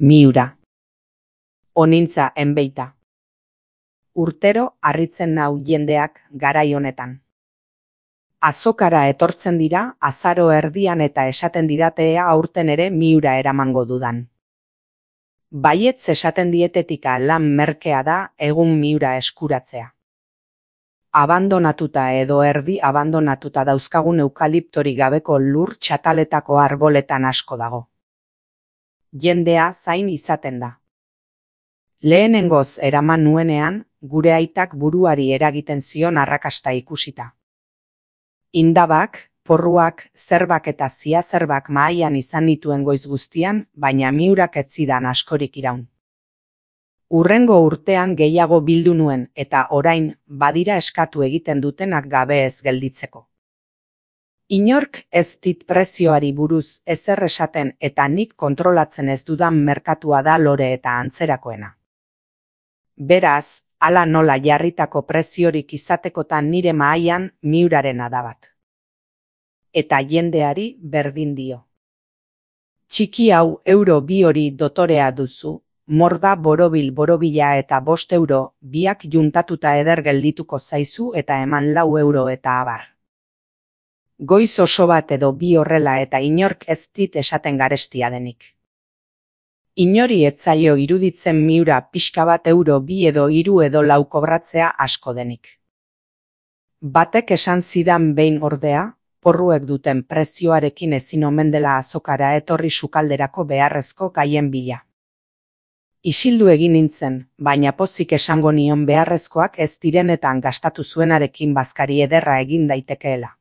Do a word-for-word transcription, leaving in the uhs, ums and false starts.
Miura. Onintza enbeita. Urtero harritzen nau jendeak garai honetan. Azokara etortzen dira azaro erdian eta esaten didatea aurten ere Miura eramango dudan. Baietz esaten dietetika lan merkea da egun Miura eskuratzea. Abandonatuta edo erdi abandonatuta dauzkagun eukaliptori gabeko lur txataletako arboletan asko dago. Jendea zain izaten da. Lehenengoz eraman nuenean, gure aitak buruari eragiten zion arrakasta ikusita. Indabak, porruak, zerbak eta ziazerbak mahaian izan nituen goiz guztian, baina Miurak ez zidan askorik iraun. Urrengo urtean gehiago bildu nuen eta orain badira eskatu egiten dutenak gabe ez gelditzeko. Inork ez dit prezioari buruz ezer esaten eta nik kontrolatzen ez dudan merkatua da lore eta antzerakoena. Beraz, hala nola jarritako preziorik izatekotan nire mahaian Miurarena da bat. Eta jendeari berdin dio. Txiki hau euro bi hori dotorea duzu, morda borobil borobila eta bost euro, biak juntatuta eder geldituko zaizu eta eman lau euro eta abar. Goiz oso bat edo bi horrela eta inork ez dit esaten garestia denik. Inori etzaio iruditzen Miura pixka bat euro bi edo hiru edo lau kobratzea asko denik. Batek esan zidan behin ordea, porruek duten prezioarekin ezin omen dela azokara etorri sukalderako beharrezko gaien bila. Isildu egin nintzen, baina pozik esango nion beharrezkoak ez direnetan gastatu zuenarekin bazkari ederra egin daitekeela.